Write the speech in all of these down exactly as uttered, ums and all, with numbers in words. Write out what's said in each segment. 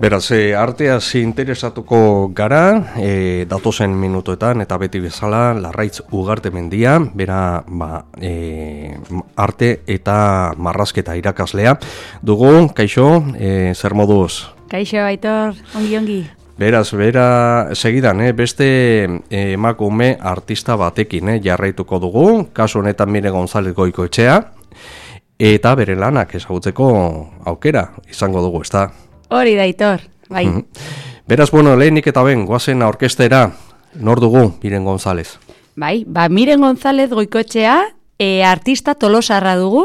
Beraz, e, arteaz interesatuko gara, e, datozen minutoetan, eta beti bezala, Larraitz Ugarte Mendia, bera ba, e, arte eta marrazketa irakaslea. Dugu, kaixo, e, zer moduz? Kaixo, Aitor, ongi ongi. Beraz, bera segidan, eh, beste emakume artista batekin eh, jarraituko dugu, kasu honetan Mire González Goikoetxea, eta bere lanak ezagutzeko aukera izango dugu, ezta? Hori da, Aitor, bai. Mm-hmm. Beraz, bueno, lehenik eta ben, goazen orkestera, nor dugu Miren González? Bai, ba, Miren González Goikoetxea, e, artista tolosarra dugu,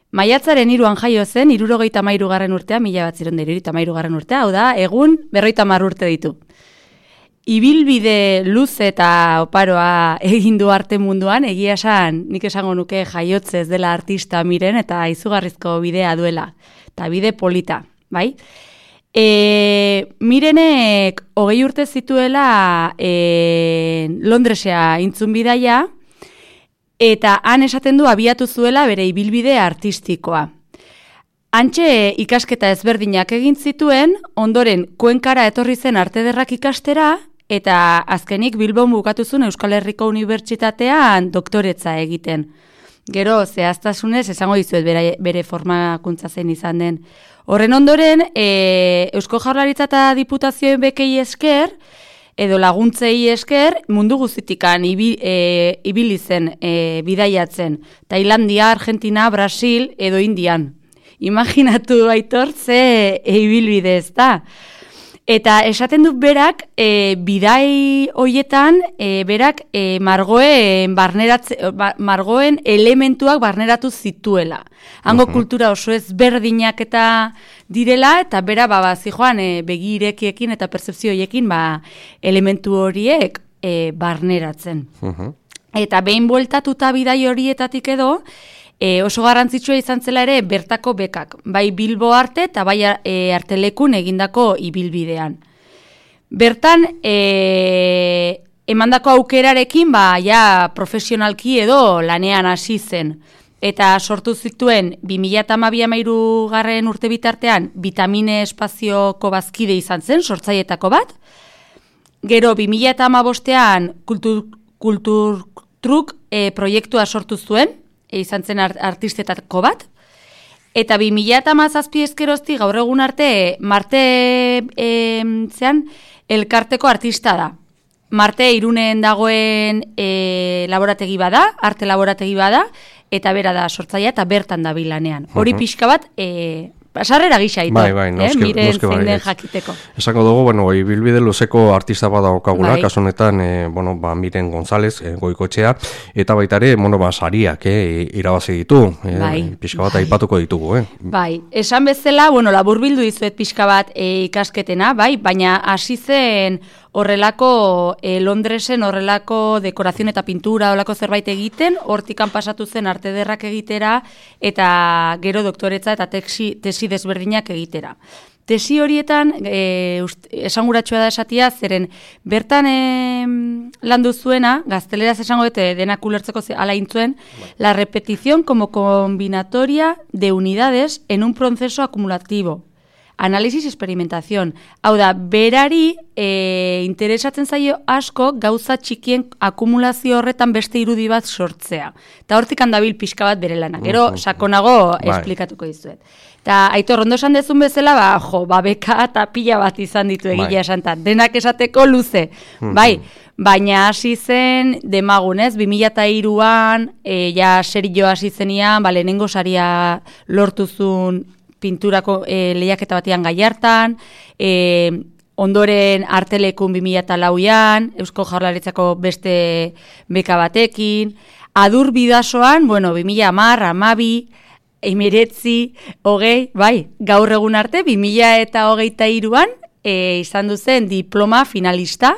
maiatzaren hiruan jaio zen, hirurogeita hamairu garren urtea, mila bat ziren hirurogeita hamairu garren urtea, hau da, egun berrogeita hamar urte ditu. Ibilbide luze eta oparoa egin du arte munduan, egia esan, nik esango nuke jaiotzez dela artista Miren, eta izugarrizko bidea duela, eta bide polita, bai? E, Mirenek hogei urte zituela e, Londresea intzun bidaia, eta han esaten du abiatu zuela bere ibilbide artistikoa. Hantxe ikasketa ezberdinak egin zituen, ondoren Kuenkara etorri zen arte ederrak ikastera, eta azkenik Bilbon bukatu zuen Euskal Herriko Unibertsitatean doktoretza egiten. Gero, zehaztasunez, esango dizuet bere, bere formakuntza zen izan den. Horren ondoren, e, Eusko Jaurlaritza eta Diputazioen bekei esker, edo laguntzei esker, mundu guztitikan ibi, e, ibili zen e, bidaiatzen. Tailandia, Argentina, Brasil edo Indian. Imaginatu, Aitor, ze e, ibilbide ez da. Eta esaten dut berak, e, bidai hoietan, e, berak e, margoen, margoen elementuak barneratu zituela. Hango uh-huh. kultura oso ezberdinak eta direla, eta bera ba, ba, zijoan e, begirekiekin eta pertzepzioiekin ba, elementu horiek e, barneratzen. Uh-huh. Eta behin bueltatuta bidai horietatik edo, E, oso garrantzitsua izan zela ere bertako bekak, bai Bilbo arte eta bai e, artelekun egindako ibilbidean. Bertan, e, emandako aukerarekin, ba, ja profesionalki edo lanean hasi zen. Eta sortu zituen bi mila hamabi garren urte bitartean Vitamine Espazioko bazkide izan zen, sortzailetako bat. Gero bi mila hamabostean kultur, kultur truk e, proiektua sortu zuen, izan zen artistetako bat, eta bi mila hamazazpi ezkerozti gaur egun arte Marte e, zean, elkarteko artista da. Marte Irunen dagoen e, laborategi bada, arte laborategi bada, eta bera da sortzailea eta bertan da bilanean. Hori uh-huh. pixka bat, e, sarrera gisa ito, bai, bai, noske, eh? Miren noske, zein den bai, jakiteko. Esako dugu, bueno, ibilbide luzeko artista bada okagula, bai. kasu honetan, e, bueno, ba, Miren González e, Goikoetxea, eta baita ere, bueno, ba, sariak, eh, irabazi ditu, e, bai. pixka bat bai. aipatuko ditugu, eh? Bai, esan bezala, bueno, laburbildu dizuet pixka bat e, ikasketena, bai, baina hasi zen horrelako e, Londresen horrelako dekorazio eta pintura horrelako zerbait egiten, hortikan pasatu zen arte ederrak egitera eta gero doktoretza eta tesi, tesi desberdinak egitera. Tesi horietan e, ust, esanguratsua da esatia, zeren bertan e, landu zuena, gazteleraz esango dute denak ulertzeko ala intzuen, la repetición como combinatoria de unidades en un proceso acumulativo. Análisis y experimentación. Hau da, berari e, interesatzen zaio asko gauza txikien akumulazio horretan beste irudi bat sortzea. Eta hortik handabil pixka bat bere lana. Gero, sakonago esplikatuko dizuet. Eta Aitor, ondo esan dezun bezala, ba, jo, ba, beka eta pila bat izan ditu egia esan, denak esateko luze. Bai, baina hasi zen demagunez, bi mila hiruan, e, ja serio hasi zenian, ba, lehenengo saria lortuzun pinturako e, lehiaketa batean Gallartan, e, ondoren artelekun bi mila lauan, Eusko Jaurlaritzako beste beka batekin, adur bidasoan, bueno, bi mila hamar, hamabi, hemeretzi, hogei, bai, gaur egun arte, bi mila eta hogeita hiruan, e, izan duzen diploma finalista,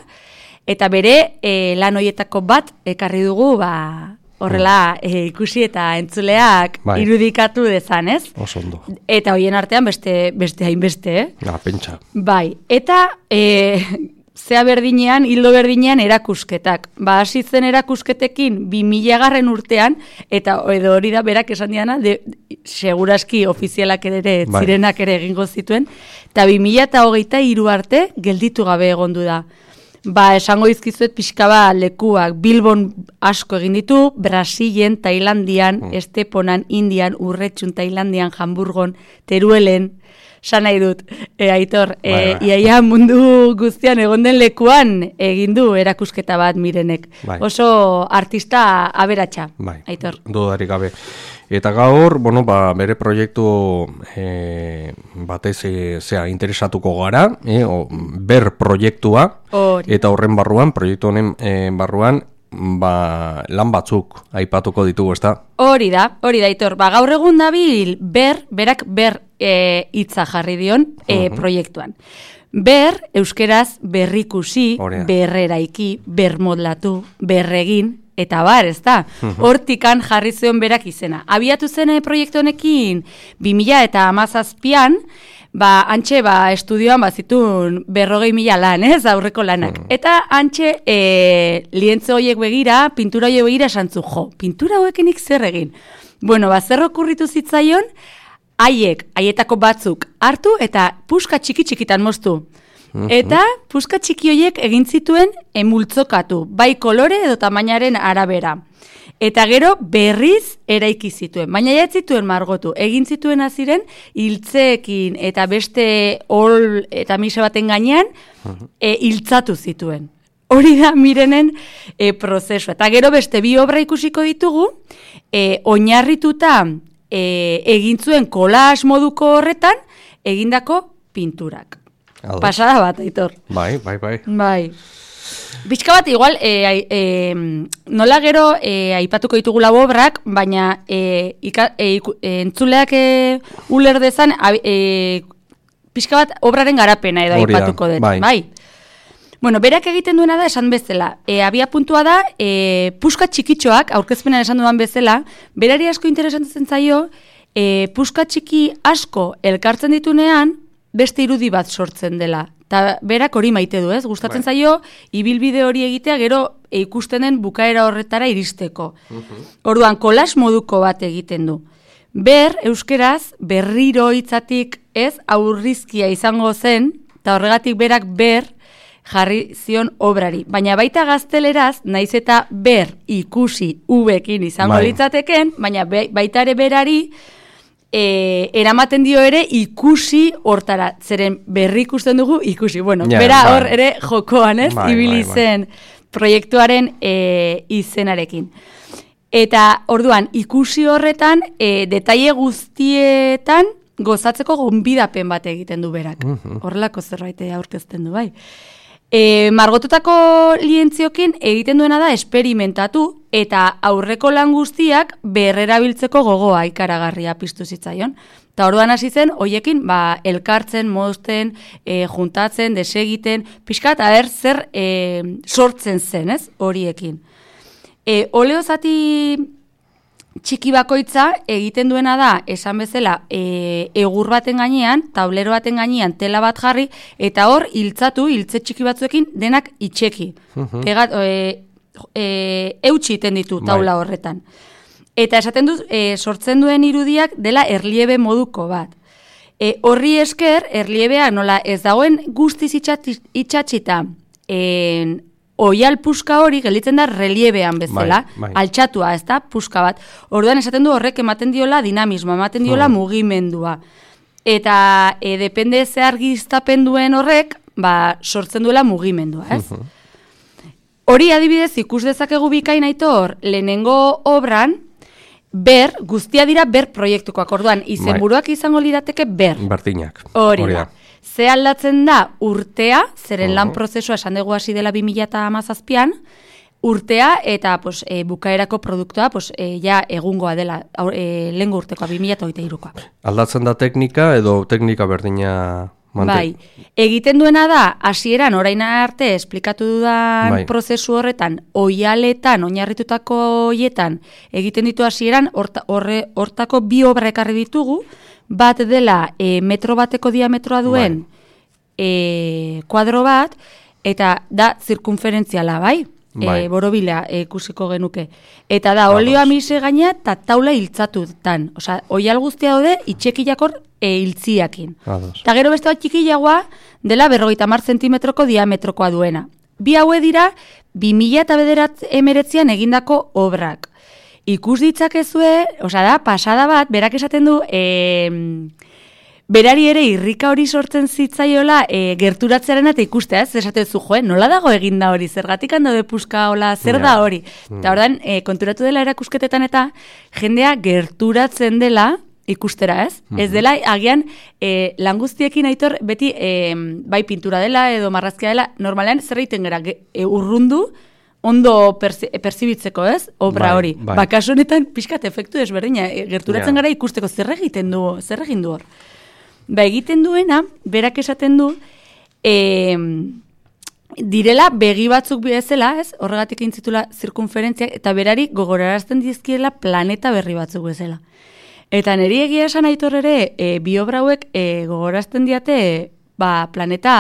eta bere e, lan hoietako bat ekarri dugu, ba, horrela e, ikusi eta entzuleak bai. Irudikatu dezan, ez? Oso ondo. Eta hoien artean beste beste hainbeste, eh? Ja, pentsa. Bai, eta e, zea berdinean, hildo berdinean erakusketak. Ba, hasi zen erakusketekin bi mila garren urtean, eta edo hori da berak esan diana, de, seguraski ofizialak ere, Bai. zirenak ere egingo zituen, eta bi mila eta hogeita hiru arte gelditu gabe egondu da. Ba, esango izkizuet pixka ba lekuak, Bilbon asko egin ditu, Brasilen, Tailandian, mm. Esteponan, Indian, Urretxun, Tailandian, Hamburgon, Teruelen, san nahi dut, e, Aitor, e, bai, bai. Iaia mundu guztian egon den lekuan egin du erakusketa bat Mirenek. Bai. Oso artista aberatsa, bai. Aitor. Dudarik gabe. Eta gaur, bueno, ba, bere proiektu e, batez e, zea interesatuko gara, e, o, ber proiektua, Hori. Eta horren barruan, proiektu honen e, barruan, ba, lan batzuk aipatuko ditugu, ezta? Hori da, hori da, Aitor. Ba, gaur egun dabil ber, berak ber e, hitza jarri dion e, uh-huh. proiektuan. Ber, euskeraz berrikusi, berreraiki, bermodlatu, berregin, eta bar, ez da, hortikan jarri zion berak izena. Abiatu zen proiektu honekin, bi mila eta hamazazpian, ba, antxe, ba, estudioan bazitun berrogei mila lan, ez, aurreko lanak. Mm. Eta antxe, e, lientze horiek begira, pintura horiek begira esantzu, jo, pintura hauekenik zer egin. Bueno, ba, zer okurritu zitzaion, haiek, haietako batzuk hartu eta puska txiki-txikitan moztu. Eta puska txiki horiek egin zituen emultzokatu, bai kolore edo tamainaren arabera. Eta gero berriz eraiki zituen, baina ja zituen margotu. Egin zituen aziren hiltzeekin eta beste ol eta mise baten gainean e, hiltzatu zituen. Hori da Mirenen e, prozesua. Eta gero beste bi obra ikusiko ditugu, e, oinarrituta e, egin zuen kolaz moduko horretan egindako pinturak. Aldo. Pasada bat, Aitor. Bai, bai, bai. Bai. Bizka bat, igual, e, e, nola gero e, aipatuko ditugu lau obrak, baina e, ika, e, e, entzuleak e, uler dezan, e, pixka bat obraren garapena edo Oria, aipatuko dut. Bai. bai. Bueno, berak egiten duena da esan bezala. E, abia puntua da, e, puska txikitxoak, aurkezpenan esan duan bezala, berari asko interesantzen zaio, e, puska txiki asko elkartzen ditunean, beste irudi bat sortzen dela. Ta berak hori maite du, ez? Gustatzen bai. zaio, ibilbide hori egitea, gero e, ikusten den bukaera horretara iristeko. Uh-huh. Orduan, kolas moduko bat egiten du. Ber, euskeraz, berriro hitzatik ez, aurrizkia izango zen, eta horregatik berak ber jarri zion obrari. Baina baita gazteleraz, naiz eta ber ikusi ubekin izango bai. litzateken, baina be, baita ere berari, E, eramaten dio ere ikusi hortara, zeren berri ikusten dugu ikusi. Bueno, yeah, bera bai. hor ere jokoan, ez? Bai, ibili bai, zen bai. proiektuaren e, izenarekin. Eta orduan, ikusi horretan, e, detaile guztietan gozatzeko gonbidapen bat egiten du berak. Uh-huh. Horrelako zerbait aurkezten du, bai. E, margotutako lientziokin egiten duena da esperimentatu eta aurreko lan guztiak berrerabiltzeko gogoa ikaragarria piztu zitzaion. Eta orduan hasi zen, hoiekin ba, elkartzen, mozten, e, juntatzen, desegiten, pixkat, aber zer e, sortzen zen, ez, horiekin. E, oleo zati txiki bakoitza egiten duena da, esan bezala, e, egur baten gainean, tablero baten gainean, tela bat jarri, eta hor, hiltzatu, hiltze txiki batzuekin, denak itxeki. Uh-huh. Egat, e, e, eutxi iten ditu taula bai. horretan. Eta esaten du, e, sortzen duen irudiak dela erliebe moduko bat. E, horri esker, erliebea nola ez dagoen guztiz itxatxita, en, oial puska hori gelditzen da reliebean bezala, bai, bai. altxatua, ez da, puska bat. Orduan esaten du horrek ematen diola dinamismoa, ematen diola hmm. mugimendua. Eta e, depende ze argiztapen duen horrek, ba, sortzen duela mugimendua, ez? Uh-huh. Hori adibidez ikus dezakegu bikain Aitor, lehenengo obran, ber, guztia dira ber proiektukoak. Orduan, izenburuak izango lirateke ber. Bertinak. Hori da. Ze aldatzen da urtea, zeren uh-huh. lan prozesua esan dugu hasi dela bi mila eta hamazazpian, urtea eta pues, e, bukaerako produktua pues, e, ja egungoa dela, e, lehengo urtekoa, bi mila eta hogeita hirukoa. Aldatzen da teknika edo teknika berdina mante? Bai, egiten duena da, hasieran orain arte esplikatu dudan bai. prozesu horretan, oialetan, oinarritutako hoietan, egiten ditu hasieran, horre, hortako bi obra ekarri ditugu, bat dela e, metro bateko diametroa duen bai. e, kuadro bat, eta da zirkunferentziala, bai? bai. e, borobila e, ikusiko genuke. Eta da, olioa mise gaina eta taula hiltzatutan. Osea, oial guztia daude itxekiakor e, hiltziakin. Eta gero beste bat txikiagoa dela berrogeita hamar zentimetroko diametrokoa duena. Bi haue dira, bi mila eta bederat emeretzian egindako obrak. Ikus ditzakezue, osea da, pasada bat, berak esaten du, e, berari ere irrika hori sortzen zitzaiola e, gerturatzearen eta ikustea, ez? Esate zu, joe, nola dago eginda hori, zergatik hando de puska, hola, zer da hori? Mm. Eta ordan, e, konturatu dela erakusketetan eta jendea gerturatzen dela ikustera, ez? Mm-hmm. Ez dela, agian, e, lan guztiekin aitor, beti, e, bai pintura dela edo marrazkia dela, normalean zer egiten gara, e, urrundu, ondo perzi, perzibitzeko, ez? Obra hori. Bai, bai. Bakaso honetan, pixkat efektu desberdina, e, gerturatzen yeah. gara ikusteko, zer egiten du, zer egin du hor? Ba, egiten duena, berak esaten du, e, direla begi batzuk bezala, ez? Horregatik intzitula zirkunferentziak, eta berari gogorarazten dizkiela planeta berri batzuk bezala. Eta niri egia esan aitor ere, e, bi obra hauek e, gogorazten diate ba, planeta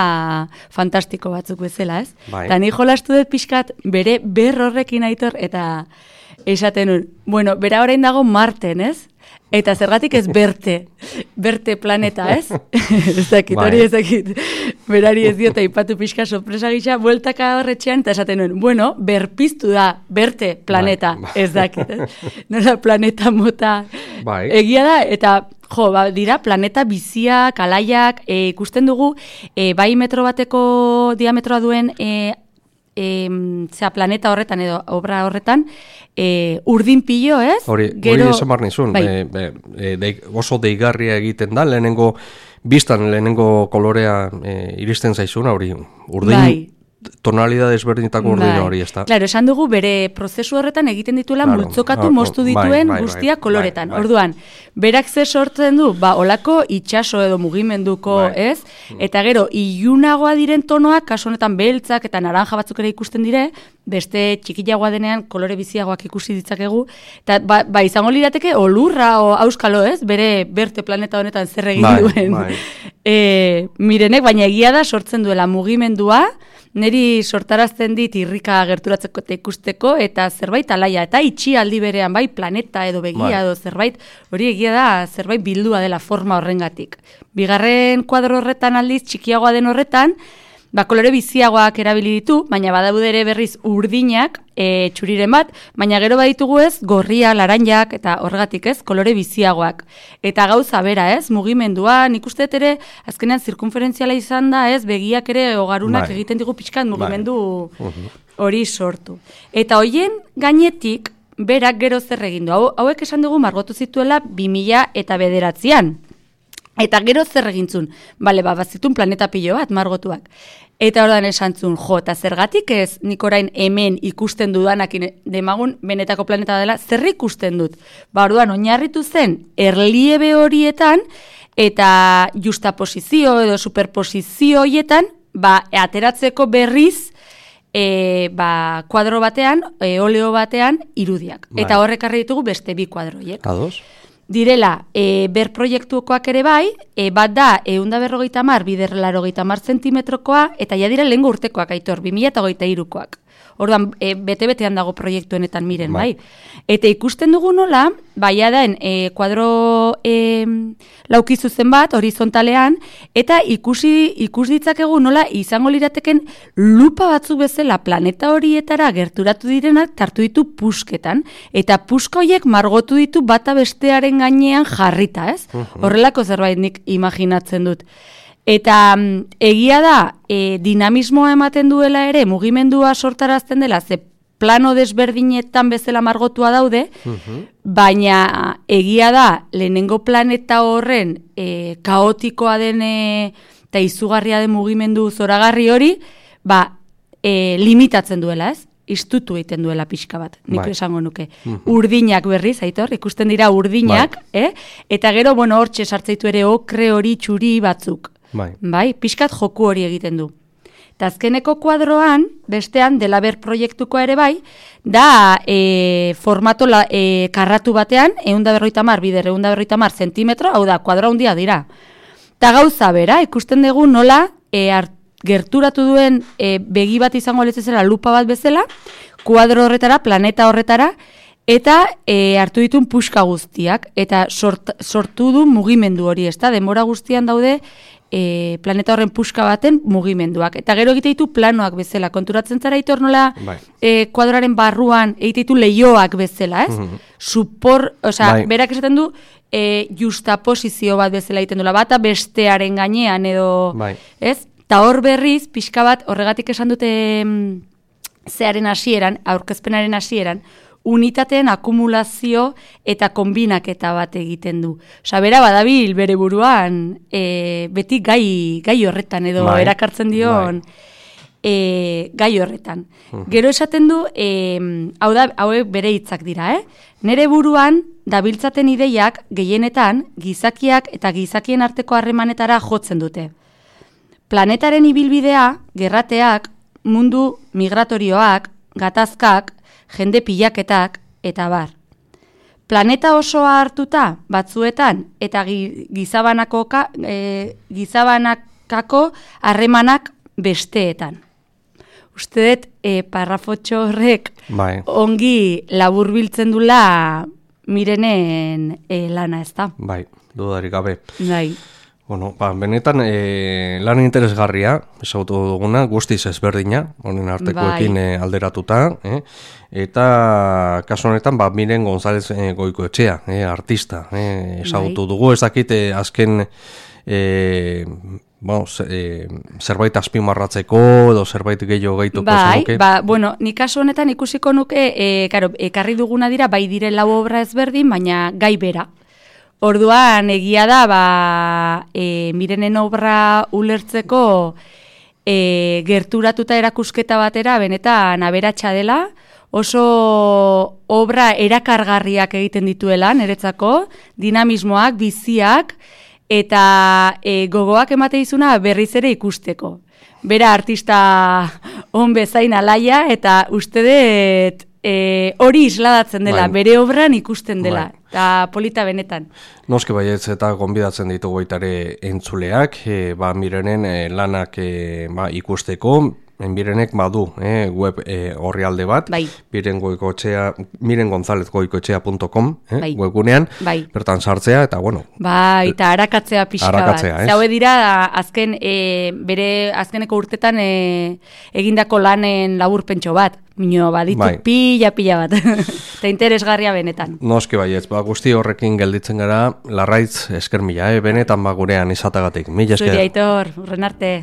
fantastiko batzuk bezala, ez? Bai. Eta ni jolastu dut pixkat bere ber horrekin aitor, eta esaten nun, bueno, bera orain dago Marten, ez? Eta zergatik ez berte, berte planeta, ez? Ez dakit, hori ez dakit. Berari ez diota ipatu pixka sorpresa gisa, bueltaka horretxean, eta esaten nuen, bueno, berpiztu da, berte planeta, bai, bai. Ez dakit, ez? Nola planeta mota bai. Egia da, eta jo, ba, dira, planeta biziak, alaiak, e, ikusten dugu, e, bai metro bateko diametroa duen e, e, zera, planeta horretan edo obra horretan, e, urdin pilo, ez? Hori, Gero, hori esan bar nizun, bai. e, e, e, de, oso deigarria egiten da, lehenengo, biztan lehenengo kolorea e, iristen zaizuna, hori, urdin... Bai. Tonalidad desberdinetako urdin bai. Hori, ez da. Claro, esan dugu bere prozesu horretan egiten dituela claro. multzokatu, moztu dituen bai, bai, guztia bai, koloretan. Bai, bai. Orduan, berak ze sortzen du, ba, olako itxaso edo mugimenduko, bai. Ez? Eta gero, ilunagoa diren tonoak, kasu honetan beltzak eta naranja batzuk ere ikusten dire, beste txikiagoa denean kolore biziagoak ikusi ditzakegu, eta ba, ba izango lirateke olurra o auskalo, ez? Bere berte planeta honetan zer egin bai, duen. Bai. E, mirenek, baina egia da sortzen duela mugimendua, neri sortarazten dit irrika gerturatzeko eta ikusteko, eta zerbait alaia, eta itxi aldi berean, bai, planeta edo begia bai. Edo zerbait, hori egia da, zerbait bildua dela forma horrengatik. Bigarren kuadro horretan aldiz, txikiagoa den horretan, ba, kolore biziagoak erabili ditu, baina badaude ere berriz urdinak, e, txuriren bat, baina gero baditugu ez, gorria, laranjak, eta horregatik ez, kolore biziagoak. Eta gauza bera ez, mugimendua, nik uste ere, azkenean zirkunferentziala izan da ez, begiak ere ogarunak bai. Egiten digu pixkat mugimendu hori bai. Sortu. Eta hoien gainetik, berak gero zer egin du. Hau, hauek esan dugu margotu zituela bi mila eta bederatzian. Eta gero zer egintzun, bale, ba, bazitun planeta pilo bat, margotuak. Eta ordan esantzun, jo, eta zergatik ez nik orain hemen ikusten dudanakin demagun benetako planeta dela, zer ikusten dut? Ba, orduan, oinarritu zen, erliebe horietan, eta justaposizio edo superposizio horietan, ba, ateratzeko berriz, e, ba, kuadro batean, e, oleo batean, irudiak. Bai. Eta horrekarri ditugu beste bi kuadroiek. Ados? Direla, e, ber proiektukoak ere bai, e, bat da, eunda berrogeita mar, bider larogeita mar zentimetrokoa, eta ja dira lehengo urtekoak, aitor, bi mila eta hogeita hirukoak. Orduan, e, bete-betean dago proiektuenetan miren, bai. bai. Eta ikusten dugu nola, baia den, e, kuadro e, laukizuzen bat, horizontalean, eta ikusi ikus ditzakegu nola izango lirateken lupa batzu bezala planeta horietara gerturatu direnak tartu ditu pusketan, eta puska horiek margotu ditu bata bestearen gainean jarrita, ez? Uh-huh. Horrelako zerbait nik imaginatzen dut. Eta egia da, e, dinamismoa ematen duela ere, mugimendua sortarazten dela, ze plano desberdinetan bezala margotua daude, uh-huh. baina egia da, lehenengo planeta horren e, kaotikoa den eta izugarria den mugimendu zoragarri hori, ba, e, limitatzen duela, ez? Istutu egiten duela pixka bat, nik bai. Esango nuke. Uh-huh. Urdinak berriz, aitor, ikusten dira urdinak, bai. eh? Eta gero, bueno, hortxe sartzaitu ere okre hori txuri batzuk. Bai. Bai, pixkat joku hori egiten du. Eta azkeneko kuadroan, bestean, Delaber proiektuko ere bai, da e, formato la, e, karratu batean, eunda berroita mar, bider eunda berroita mar zentimetro, hau da, kuadro handia dira. Eta gauza bera, ikusten dugu nola, e, art, gerturatu duen e, begi bat izango letzezela lupa bat bezala, kuadro horretara, planeta horretara, eta e, hartu ditun puska guztiak, eta sort, sortu du mugimendu hori, ez da, denbora guztian daude e, planeta horren puska baten mugimenduak. Eta gero egite ditu planoak bezala, konturatzen zara itor nola bai. e, kuadraren barruan egite ditu leioak bezala, ez? Mm-hmm. Supor, osea, bai. Berak esaten du, e, justaposizio bat bezala egiten dula, bata bestearen gainean edo, bai. Ez? Ta hor berriz, pixka bat, horregatik esan dute mm, zearen hasieran, aurkezpenaren hasieran, unitateen akumulazio eta konbinaketa bat egiten du. Osa, bera badabil bere buruan, e, beti gai, gai horretan edo bai. Erakartzen dion e, gai horretan. Uh-huh. Gero esaten du, e, hau da, hauek bere hitzak dira, eh? Nere buruan, dabiltzaten ideiak gehienetan gizakiak eta gizakien arteko harremanetara jotzen dute. Planetaren ibilbidea, gerrateak, mundu migratorioak, gatazkak, jende pilaketak, eta bar. Planeta osoa hartuta, batzuetan, eta gizabanako, e, gizabanakako harremanak besteetan. Uste dut, e, parrafotxo horrek bai. Ongi laburbiltzen dula Mirenen e, lana, ez da? Bai, dudarik gabe. Bai. Bueno, ba, benetan e, lan interesgarria, ezagutu duguna, guztiz ezberdina, honen artekoekin bai. e, alderatuta, e, eta kasu honetan, ba, Miren González e, Goikoetxea, e, artista, e, ezagutu bai. Dugu, ez dakit e, azken e, bueno, e, zerbait azpimarratzeko edo zerbait gehiago gehituko bai, zenuke. Ba, bueno, nik kasu honetan ikusiko nuke, e, karo, ekarri duguna dira, bai dire lau obra ezberdin, baina gai bera. Orduan, egia da, ba, e, Mirenen obra ulertzeko e, gerturatuta erakusketa batera, benetan aberatsa dela, oso obra erakargarriak egiten dituela, niretzako, dinamismoak, biziak, eta e, gogoak emate izuna berriz ere ikusteko. Bera artista on bezain alaia, eta uste dut e, hori isladatzen dela, bai. Bere obran ikusten dela. Bai. Eta polita benetan. Noski baietz eta gonbidatzen ditugu baitare entzuleak, e, ba, Mirenen e, lanak e, ba, ikusteko, Mirenek badu eh, web eh, orrialde bat, bai. Miren Goikoetxea, miren gonzalez goikoetxea punto com eh, bai. Webgunean, bai. Bertan sartzea, eta bueno. Bai, eta harakatzea pixka harakatzea, bat. Zaue dira, azken, e, bere azkeneko urtetan e, egindako lanen laburpentxo bat. Mino, baditu bai. pila, pila bat. Eta interesgarria benetan. Noski baietz, ba, guzti horrekin gelditzen gara, Larraitz esker mila, eh? Benetan ba gurean izatagatik. Mila esker. Zuri Aitor, urren arte.